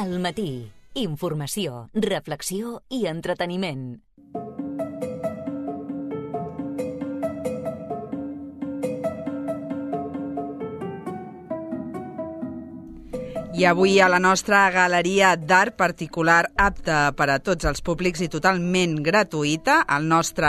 Al matí, informació, reflexió i entreteniment. I avui a la nostra galeria d'art particular apta per a tots els públics i totalment gratuïta, el nostre...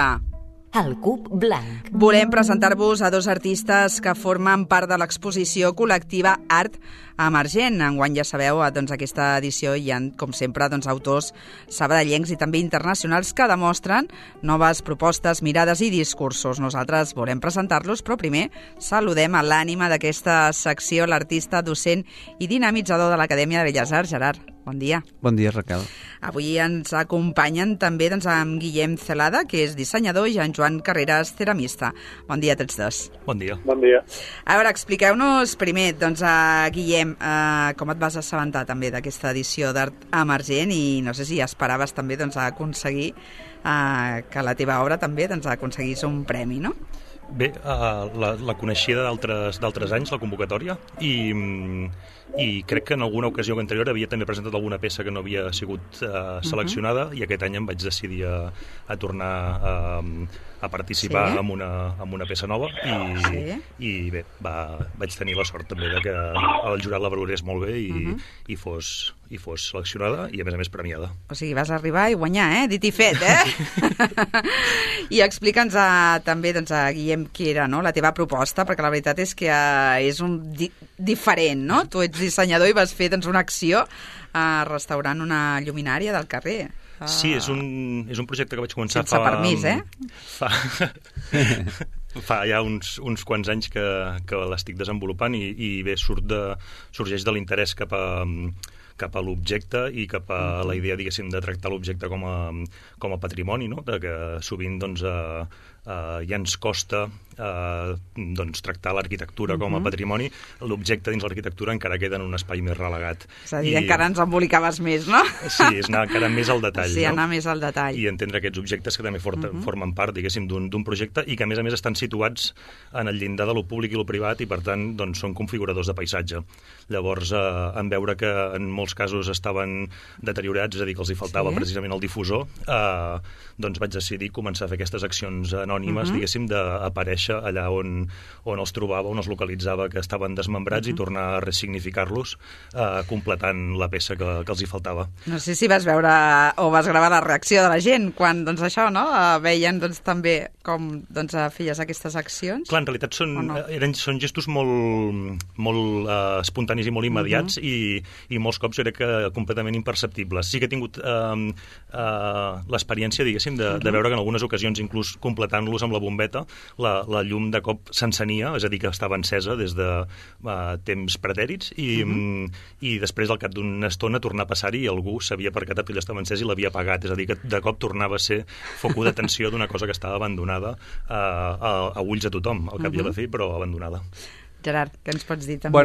El Cub Blanc. Volem presentar-vos a dos artistes que formen part de l'exposició col·lectiva Art Emergent. Enguany, ja sabeu, doncs, aquesta edició hi ha, com sempre, doncs, autors sabadellencs i també internacionals que demostren noves propostes, mirades i discursos. Nosaltres volem presentar-los, però primer saludem a l'ànima d'aquesta secció, l'artista, docent i dinamitzador de l'Acadèmia de Belles Arts, Gerard. Bon dia. Bon dia, Raquel. Avui ens acompanyen també amb Guillem Celada, que és dissenyador, i en Joan Carreras, ceramista. Bon dia a tots dos. Bon dia. Bon dia. A veure, expliqueu-nos primer, a Guillem, com et vas assabentar també d'aquesta edició d'Art Emergent i no sé si esperaves també aconseguir que la teva obra també aconseguís un premi, no? Bé, la coneixia d'altres anys, la convocatòria, i crec que en alguna ocasió anterior havia també presentat alguna peça que no havia sigut seleccionada, i aquest any em vaig decidir a tornar a participar en una peça nova i bé, vaig tenir la sort també de que el jurat la valorés molt bé i fos seleccionada i a més premiada. O sigui, vas arribar i guanyar, dit i fet, I explica'ns també, a Guillem, què era la teva proposta, perquè la veritat és que és diferent, no? Tu ets dissenyador i vas fer una acció restaurant una lluminària del carrer. Sí, és un projecte que vaig començar sense permís, fa ja uns quants anys que l'estic desenvolupant i bé, sorgeix de l'interès cap a l'objecte i cap a la idea, diguéssim, de tractar l'objecte com a patrimoni, no? De que sovint ja ens costa tractar l'arquitectura com a patrimoni. L'objecte dins l'arquitectura encara queda en un espai més relegat. És a dir, encara ens embolicaves més, no? Sí, és anar encara més al detall. Sí, anar més al detall. I entendre aquests objectes que també formen part, diguéssim, d'un projecte i que, a més estan situats en el llindar de lo públic i lo privat i, per tant, són configuradors de paisatge. Llavors, en veure que en molts casos estaven deteriorats, és a dir, que els hi faltava precisament el difusor, doncs vaig decidir començar a fer aquestes accions anònimes, diguéssim, d'aparèixer allà on els trobava, on els localitzava que estaven desmembrats i tornar a ressignificar-los, completant la peça que els hi faltava. No sé si vas veure o vas gravar la reacció de la gent quan, això, no? Veien, també com feies aquestes accions. Clar, en realitat són gestos molt espontanis i molt immediats i molts cops era completament imperceptibles. Sí que he tingut l'experiència, diguéssim, de veure que en algunes ocasions, inclús completant-los amb la bombeta, la llum de cop s'encenia, és a dir, que estava encesa des de temps pretèrits i després, al cap d'una estona, tornar a passar-hi i algú s'havia percatat que ella estava encesa i l'havia apagat. És a dir, que de cop tornava a ser foco d'atenció d'una cosa que estava abandonada a ulls de tothom, al cap i a la fi, però abandonada. Gerard, què ens pots dir també?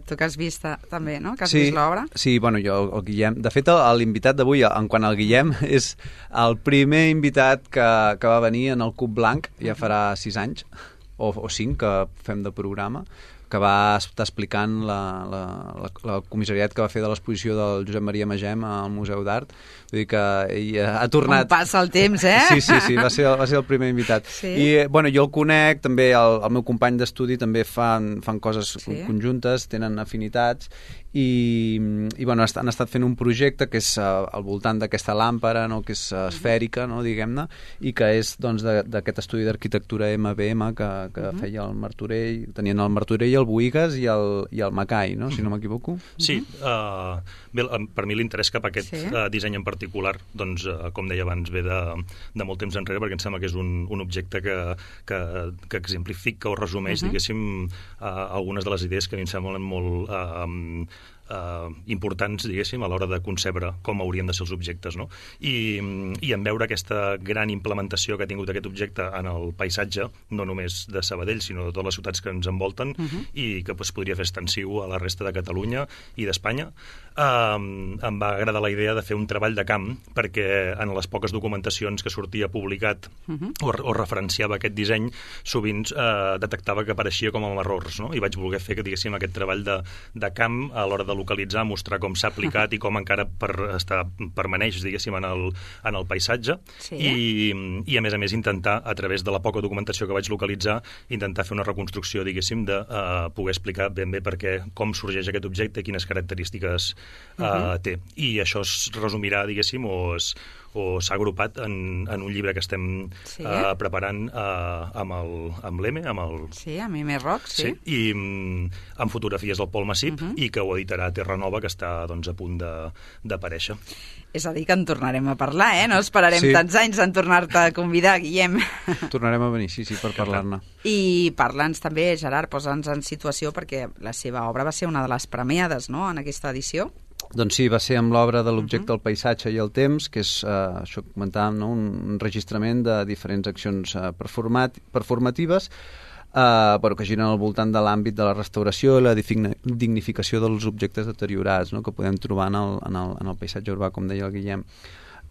Tu que has vist també, no? Que has vist l'obra? Sí, jo, el Guillem... De fet, l'invitat d'avui, en quant al Guillem, és el primer invitat que va venir en el Cub Blanc, ja farà 6 anys, o 5 que fem de programa, que va estar explicant la comissariat que va fer de l'exposició del Josep Maria Magem al Museu d'Art. Vull dir que ell ha tornat... Com passa el temps, Sí, va ser el primer invitat. Sí. I, jo el conec, també el meu company d'estudi també fan coses conjuntes, tenen afinitats, i han estat fent un projecte que és al voltant d'aquesta làmpara, no? Que és esfèrica, no? Diguem-ne, i que és d'aquest estudi d'arquitectura MBM que feia el Martorell, tenien el Martorell, el Boïgues i el Macai, no? Si no m'equivoco. Sí, bé, per mi l'interès cap a aquest disseny en particular, doncs, com deia abans, ve de molt temps enrere, perquè em sembla que és un objecte que exemplifica o resumeix, diguéssim, algunes de les idees que a mi em semblen molt importants, diguéssim, a l'hora de concebre com haurien de ser els objectes, no? I en veure aquesta gran implementació que ha tingut aquest objecte en el paisatge, no només de Sabadell, sinó de totes les ciutats que ens envolten, i que podria fer extensiu a la resta de Catalunya i d'Espanya, em va agradar la idea de fer un treball de camp, perquè en les poques documentacions que sortia publicat o referenciava aquest disseny, sovint detectava que apareixia com amb errors, no? I vaig voler fer, diguéssim, aquest treball de camp a l'hora de localitzar, mostrar com s'ha aplicat i com encara permaneix, diguéssim, en el paisatge, i a més intentar, a través de la poca documentació que vaig localitzar, intentar fer una reconstrucció, diguéssim, de poder explicar ben bé com sorgeix aquest objecte, quines característiques té. I això es resumirà, diguéssim, o s'ha agrupat en un llibre que estem preparant amb l'EME, Sí, amb M. Rock, sí. I amb fotografies del Pol Massip, i que ho editarà Terra Nova, que està a punt d'aparèixer. És a dir, que en tornarem a parlar, No esperarem tants anys en tornar-te a convidar, Guillem. Tornarem a venir, sí, per parlar-ne. I parla'ns també, Gerard, posa'ns en situació, perquè la seva obra va ser una de les premiades, no?, en aquesta edició. Doncs sí, va ser amb l'obra de l'objecte, el paisatge i el temps, que és, això que comentàvem, no? Un enregistrament de diferents accions performatives que giren al voltant de l'àmbit de la restauració i la dignificació dels objectes deteriorats, no? Que podem trobar en el paisatge urbà, com deia el Guillem.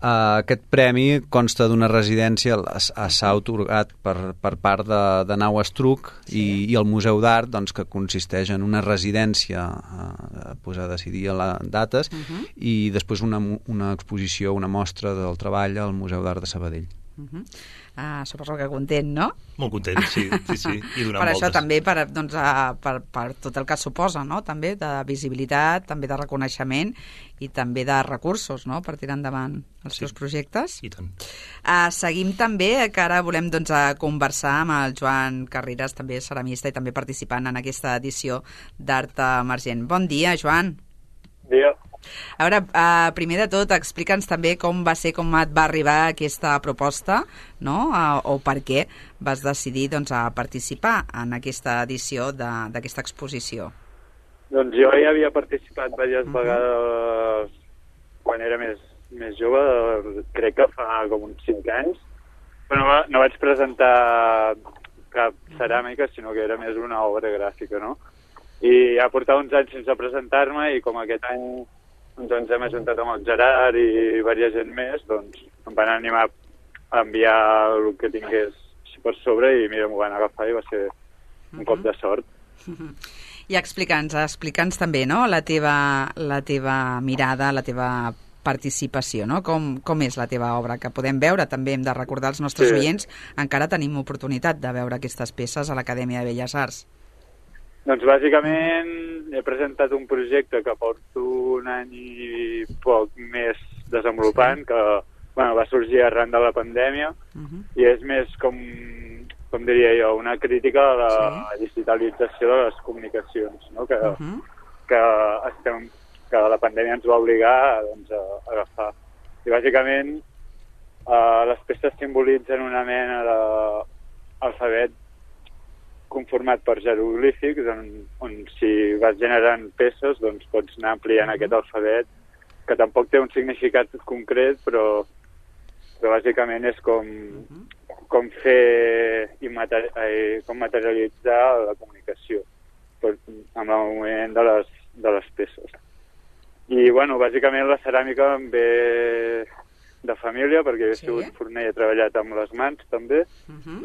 Aquest premi consta d'una residència, s'ha atorgat per part de Nau Estruc i el Museu d'Art, doncs, que consisteix en una residència a decidir dates i després una exposició, una mostra del treball al Museu d'Art de Sabadell. Suposo que content, no? Molt content, sí. I per això també, per tot el que suposa, no? També de visibilitat, també de reconeixement i també de recursos, no?, per tirar endavant els seus projectes. I tant. Seguim també, que ara volem conversar amb el Joan Carreras, també ceramista i també participant en aquesta edició d'Art Emergent. Bon dia, Joan. Bon dia. A veure, primer de tot, explica'ns també com et va arribar aquesta proposta, no?, o per què vas decidir, a participar en aquesta edició d'aquesta exposició. Doncs jo ja havia participat diverses vegades quan era més jove, crec que fa com uns 5 anys, però no vaig presentar cap ceràmica, sinó que era més una obra gràfica, no? I ja portava uns anys sense presentar-me i com aquest any doncs hem ajuntat amb el Gerard i diversa gent més, doncs em van animar a enviar el que tingués per sobre i mira, m'ho van agafar i va ser un cop de sort. I explica'ns també, no?, la teva mirada, la teva participació, no? Com és la teva obra, que podem veure, també hem de recordar als nostres oients, encara tenim oportunitat de veure aquestes peces a l'Acadèmia de Belles Arts. Doncs bàsicament he presentat un projecte que porto un any i poc més desenvolupant, que va sorgir arran de la pandèmia, i és més com diria jo, una crítica a la digitalització de les comunicacions, no? Que la pandèmia ens va obligar a agafar. I bàsicament les peces simbolitzen una mena d'alfabet conformat per jeroglífics, on si vas generant peces doncs pots anar ampliant aquest alfabet, que tampoc té un significat concret, però bàsicament és com fer com materialitzar la comunicació amb el moviment de les peces. I, bàsicament la ceràmica em ve de família, perquè he sigut forner i he treballat amb les mans, també,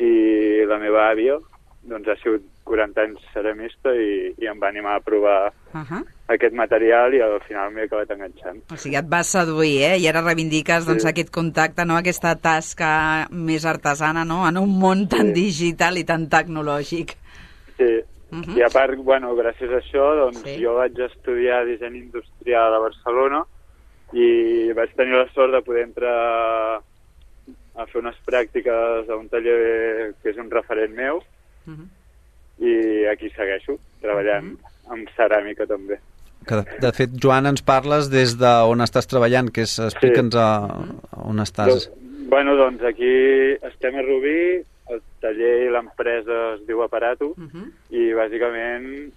i la meva àvia doncs ha sigut 40 anys ceramista i em va animar a provar aquest material i al final m'he acabat enganxant. O sigui, et vas seduir, I ara reivindiques aquest contacte, no?, aquesta tasca més artesana, no?, en un món tan digital i tan tecnològic. Sí, i a part, gràcies a això, doncs jo vaig estudiar disseny industrial a Barcelona i vaig tenir la sort de poder entrar a fer unes pràctiques a un taller que és un referent meu, i aquí segueixo, treballant amb ceràmica també. De fet, Joan, ens parles des d'on estàs treballant, que és, explica'ns on estàs. Doncs aquí estem a Rubí, el taller i l'empresa es diu Aparato, i bàsicament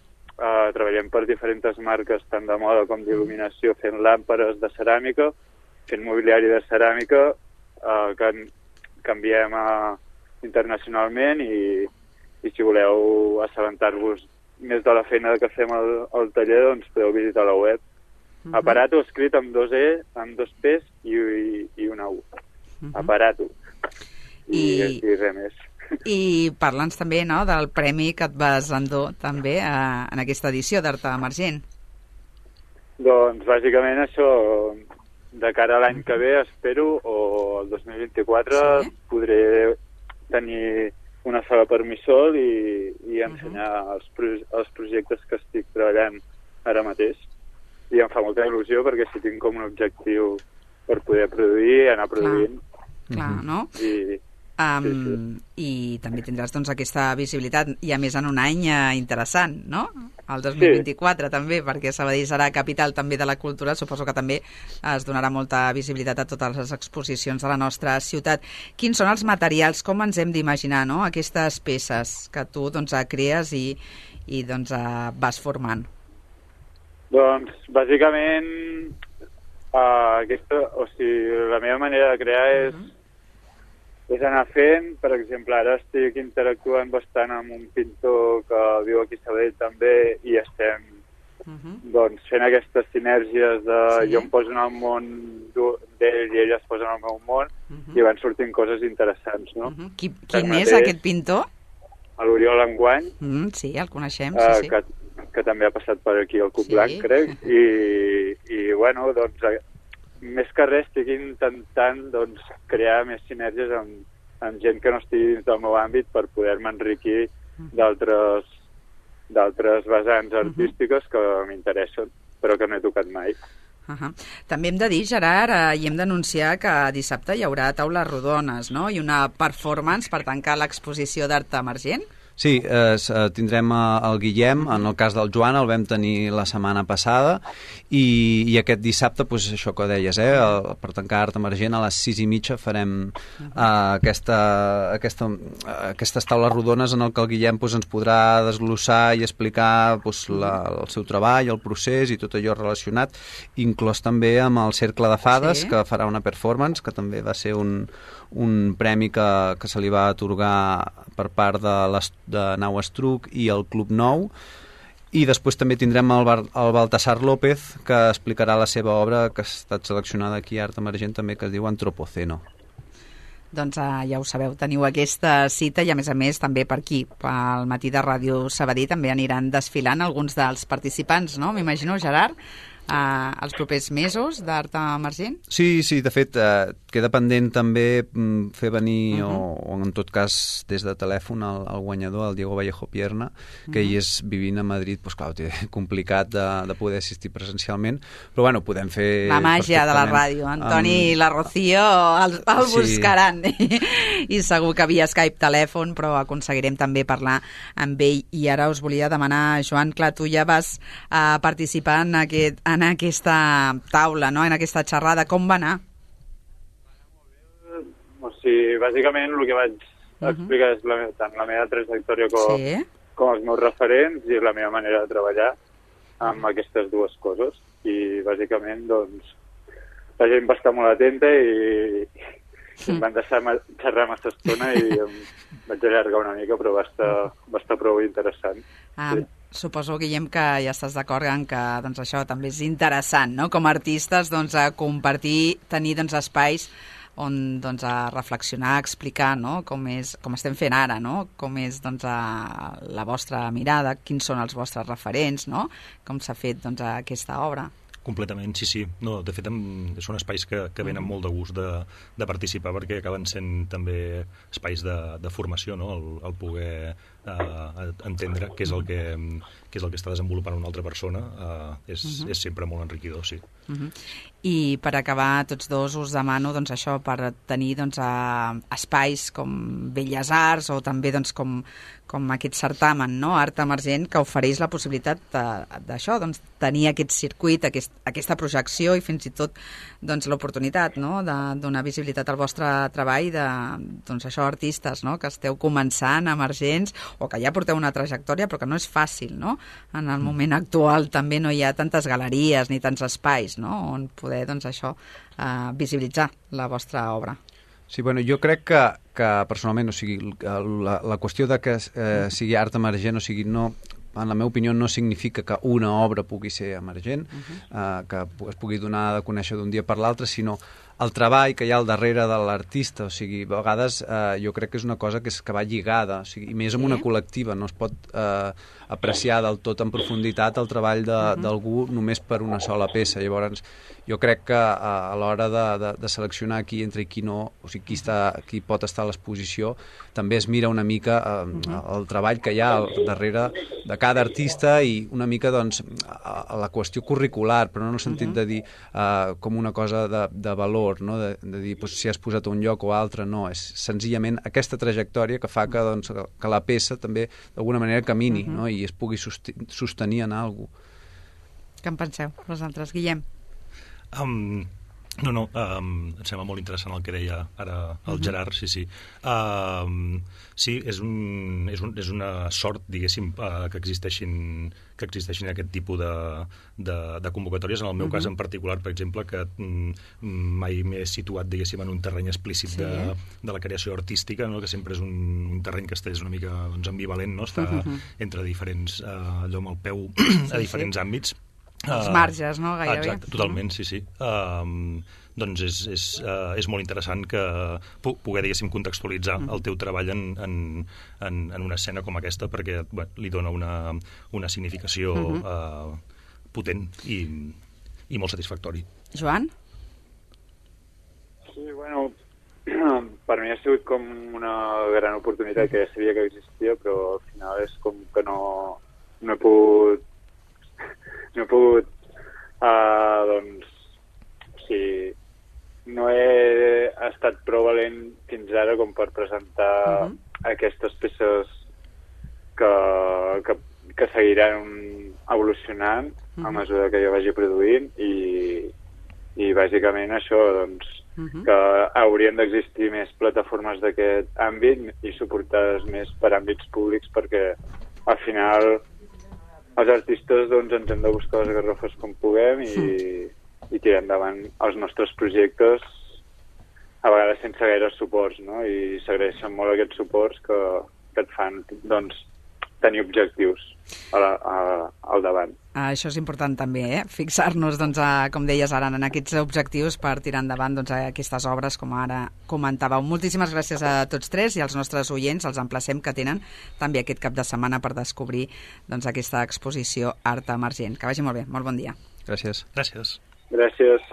treballem per diferents marques, tant de moda com d'il·luminació, fent làmperes de ceràmica, fent mobiliari de ceràmica, que canviem internacionalment i si voleu assabentar-vos més de la feina que fem al taller, doncs podeu visitar la web. Aparato escrit amb 2 E, amb 2 P's i una U. Aparato. I res més. I parla'ns també, no?, del premi que et vas endur també en aquesta edició d'Art Emergent. Doncs bàsicament això, de cara a l'any que ve, espero, o el 2024, podré tenir una sala per mi sol i ensenyar els projectes que estic treballant ara mateix. I em fa molta il·lusió perquè si tinc com un objectiu per poder produir, anar produint. Clar, no? Sí. I també tindràs doncs, aquesta visibilitat, i a més en un any interessant, no? El 2024 també, perquè Sabadell serà capital també de la cultura, suposo que també es donarà molta visibilitat a totes les exposicions de la nostra ciutat. Quins són els materials, com ens hem d'imaginar, no? Aquestes peces que tu doncs, crees i doncs, vas formant? Doncs, bàsicament, la meva manera de crear és anar fent. Per exemple, ara estic interactuant bastant amb un pintor que viu aquí a Sabadell també i estem doncs, fent aquestes sinergies de jo em poso en el món d'ell i ell es posa en el meu món i van sortint coses interessants, no? Quin és aquest pintor? L'Oriol Enguany. Sí, el coneixem, sí. Que també ha passat per aquí al Cup Blanc, crec, i bueno, doncs, més que res estic intentant doncs, crear més sinergies amb gent que no estigui dins del meu àmbit per poder-me enriquir d'altres vessants artístiques que m'interessen, però que no he tocat mai. També hem de dir, Gerard, i hem d'anunciar que dissabte hi haurà taules rodones, no? I una performance per tancar l'exposició d'art emergent. Sí, tindrem el Guillem, en el cas del Joan el vam tenir la setmana passada i aquest dissabte, doncs això que deies, per tancar art emergent a les 6:30 farem aquestes taules rodones en el que el Guillem doncs, ens podrà desglossar i explicar doncs, el seu treball, el procés i tot allò relacionat, inclòs també amb el Cercle de Fades, que farà una performance, que també va ser un premi que se li va atorgar per part de Nau Estruc i el Club Nou, i després també tindrem el Baltasar López, que explicarà la seva obra que ha estat seleccionada aquí a Art Emergent també, que es diu Antropoceno. Doncs ja ho sabeu, teniu aquesta cita i a més també per aquí, pel matí de Ràdio Sabadell també aniran desfilant alguns dels participants, no? M'imagino, Gerard, els propers mesos d'Art Emergent? Sí, de fet, queda pendent també fer venir, o en tot cas des de telèfon, el guanyador, el Diego Vallejo Pierna, que ell és vivint a Madrid, doncs clar, té complicat de poder assistir presencialment, però bueno, podem fer... La màgia de la ràdio, Antoni i la Rocío el buscaran, i segur que via Skype, telèfon, però aconseguirem també parlar amb ell. I ara us volia demanar, Joan, clar, tu ja vas participar en aquesta taula, no? En aquesta xerrada, com va anar? O sigui, bàsicament el que vaig explicar és tant la meva trajectòria com els meus referents i la meva manera de treballar amb aquestes dues coses. I bàsicament, doncs, la gent va estar molt atenta i em van deixar xerrar massa estona i em vaig allargar una mica, però va estar prou interessant. Suposo, Guillem, que ja estàs d'acord en que doncs, això també és interessant, no? Com a artistes, doncs, a compartir, tenir doncs, espais on doncs, a reflexionar, a explicar, no? Com estem fent ara, no? Com és doncs, la vostra mirada, quins són els vostres referents, no? Com s'ha fet doncs, aquesta obra. Completament, sí. No, de fet, són espais que venen molt de gust de participar perquè acaben sent també espais de formació, no? El poder entendre què és el que està desenvolupant una altra persona és sempre molt enriquidor, sí. I per acabar, tots dos us demano doncs, això, per tenir doncs, espais com Belles Arts o també doncs, com aquest certamen, no? Art Emergent, que ofereix la possibilitat d'això, doncs, tenir aquest circuit, aquesta projecció i fins i tot doncs, l'oportunitat, no? De donar visibilitat al vostre treball de doncs, això, artistes, no? Que esteu començant, emergents, o que ja porteu una trajectòria però que no és fàcil, no? En el moment actual també no hi ha tantes galeries ni tants espais, no? On poder doncs, això, visibilitzar la vostra obra. Sí, bueno, jo crec que personalment, o sigui, la qüestió de que sigui art emergent, o sigui, no, en la meva opinió, no significa que una obra pugui ser emergent, que es pugui donar a conèixer d'un dia per l'altre, sinó el treball que hi ha al darrere de l'artista. O sigui, a vegades jo crec que és una cosa que va lligada, o sigui, i més amb una col·lectiva. No es pot apreciar del tot en profunditat el treball d'algú només per una sola peça. Llavors, jo crec que a l'hora de seleccionar qui entra i qui no, o sigui, qui pot estar a l'exposició, també es mira una mica el treball que hi ha al darrere de cada artista i una mica, doncs, a la qüestió curricular, però no en el sentit de dir com una cosa de valor, no? de dir si has posat a un lloc o altre, no, és senzillament aquesta trajectòria que fa que, doncs, que la peça també d'alguna manera camini, no? I es pugui sostenir en alguna cosa. Què en penseu vosaltres, Guillem? No, em sembla molt interessant el que deia ara el Gerard, sí. Sí, és una sort, diguéssim, que existeixin aquest tipus de convocatòries. En el meu cas en particular, per exemple, que mai m'he situat, diguéssim, en un terreny explícit de la creació artística, no? Que sempre és un terreny que és una mica, doncs, ambivalent, no? Està entre diferents, allò amb el peu a diferents àmbits. Els marges, no? Gairebé. Exacte, totalment, sí. Doncs és molt interessant que poder, diguéssim, contextualitzar el teu treball en una escena com aquesta, perquè li dona una significació potent i molt satisfactori. Joan? Sí, bueno, per mi ha sigut com una gran oportunitat que ja sabia que existia, però al final és com que no he pogut doncs, o sigui, no he estat prou valent fins ara com per presentar aquestes peces que seguiran evolucionant a mesura que jo vagi produint i bàsicament això, doncs, que haurien d'existir més plataformes d'aquest àmbit i suportades més per àmbits públics, perquè al final els artistes, doncs, ens hem de buscar les garrofes com puguem i tirar endavant els nostres projectes, a vegades sense gaire suports, no? I s'agraeixen molt aquests suports que et fan, doncs, tenir objectius al davant. Això és important també, fixar-nos, doncs, com deies ara, en aquests objectius per tirar endavant, doncs, aquestes obres, com ara comentàveu. Moltíssimes gràcies a tots tres i als nostres oients. Els emplacem que tenen també aquest cap de setmana per descobrir, doncs, aquesta exposició Art Emergent. Que vagi molt bé. Molt bon dia. Gràcies. Gràcies. Gràcies.